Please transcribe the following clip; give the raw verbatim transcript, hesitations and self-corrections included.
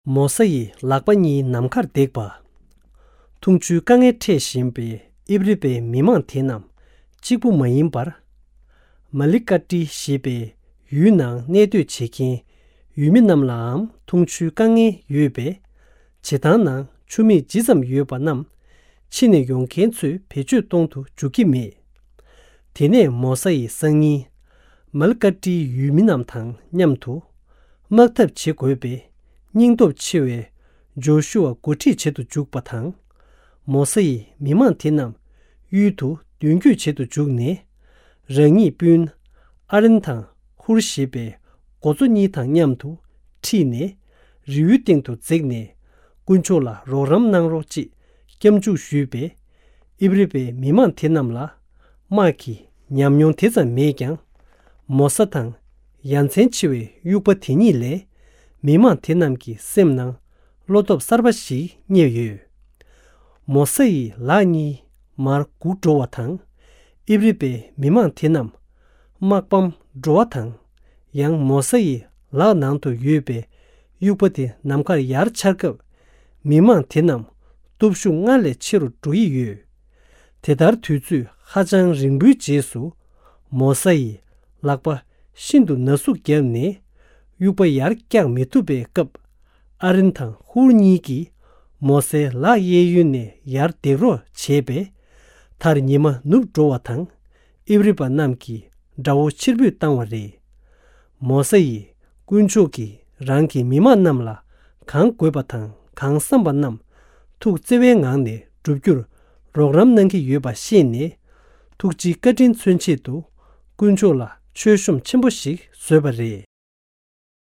མོ་ས་ཡི་ལག་པ་གཉིས་ནམ་མཁར་བརྡེགས་པ། འཐུང་ཆུའི་དཀའ་ངལ་འཕྲད་བཞིན་པའི་ཨིབ་རི་པའི་མི་མང་དེ་རྣམས་གཅིག་པུ་མ་ཡིན་པར། མ་ལི་ཀ་ཏི་ཞེས་པའི་ཡུལ་ནང་གནས་སྡོད་བྱེད་མཁན་ཡུལ་མི་རྣམས་ལའང་འཐུང་ཆུའི་དཀའ་ངལ་ཡོད་པས། བྱེ་ཐང་ནང་ཆུ་མིག་ཇི་ཙམ་ཡོད་པ་རྣམས་ཕྱི་ནས་ཡོང་མཁན་ཚོས་བེད་སྤྱོད་གཏོང་དུ་འཇུག་གི་མེད། དེ་ནས་མོ་ས་ཡི་སང་ཉིན། མལ་ཀ་ཏྲིའི་ཡུལ་མི་རྣམས་དང་མཉམ་དུ། དམག་འཐབ་བྱེད་དགོས་པའི་སྙིང་སྟོབས་ཆེ་བའི་ཇོ་ཤུ་ཨ་འགོ་ཁྲིད་བྱེད་དུ་འཇུག་པ་དང་། མོ་ས་ཡིས་མི་མང་དེ་རྣམས་གཡུལ་དུ་མདུན་སྐྱོད་བྱེད་དུ་འཇུག་ནས། རང་ཉིད་སྤུན་ཨ་རིན་དང་ཧུར་ཞེས་པའི་འགོ་གཙོ་གཉིས་དང་མཉམ་དུ་ཁྲིད་ནས། རི་བོའི་སྟེང་དུ་འཛེགས་ནས། དཀོན་མཆོག་ལ་རོགས་རམ་གནང་རོགས་ཅེས་སྐྱབས་འཇུག་ཞུས་པས། ཨིབ་རི་པའི་མི་མང་དེ་རྣམས་ལ་དམག་གི་ཉམས་མྱོང་དེ་ཙམ་མེད་ཀྱང་། མོ་ས་དང་ཡ་མཚན་ཆེ་བའི་དབྱུག་པ་དེ་གཉིས་ལས། མི་མང་དེ་རྣམས་ཀྱི་སེམས་ནང་བློ་སྟོབས་གསར་པ་ཞིག་རྙེད་ཡོད། མོ་ས་ཡི་ལག་གཉིས་མར་སྒུག་འགྲོ་བ་དང་། ཨིབ་རི་པའི་མི་མང་དེ་རྣམས་དམག་པའམ་འགྲོ་བ་དང་། ཡང་མོ་ས་ཡི་ལག་ནང་དུ་ཡོད་པའི་དབྱུག་པ་དེ་ནམ་མཁར་ཡར་འཕྱར་སྐབས། མི་མང་དེ་རྣམས་སྟོབས་ཤུགས་སྔར་ལས་ཆེ་རུ་འགྲོ་ཡི་ཡོད། དེ་ལྟར་དུས་ཚོད་ཧ་ཅང་རིང་པོའི་རྗེས་སུ། མོ་ས་ཡི་ལག་པ་ཤིན་ཏུ་ན་ཟུག་བརྒྱབ་ནས། དབྱུག་པ་ཡར་བཀྱག་མི་ཐུབ་པའི་སྐབས། ཨ་རིན་དང་ཧུར་གཉིས་ཀྱིས་མོ་སའི་ལག་གཡས་གཡོན་ནས་ཡར་འདེགས་རོགས་བྱས་པས། མཐར་ཉི་མ་ནུབ་འགྲོ་བ་དང་། ཨིབ་རི་པ་རྣམས་ཀྱིས་དགྲ་བོ་ཕྱིར་འབུད་བཏང་བ་རེད། མོ་ས་ཡིས་དཀོན་མཆོག་གིས་རང་གི་མི་མང་རྣམས་ལ་གང་དགོས་པ་དང་གང་བསམ་པ་རྣམས་ཐུགས་བརྩེ་བའི་ངང་ནས་བསྒྲུབ་རྒྱུར་རོགས་རམ་གནང་གི་ཡོད་པ་ཤེས་ནས། ཐུགས་རྗེའི་བཀའ་དྲིན་མཚོན་ཆེད་དུ་དཀོན་མཆོག་ལ་མཆོད་གཤོམ་ཆེན་པོ་ཞིག་བཟོས་པ་རེད།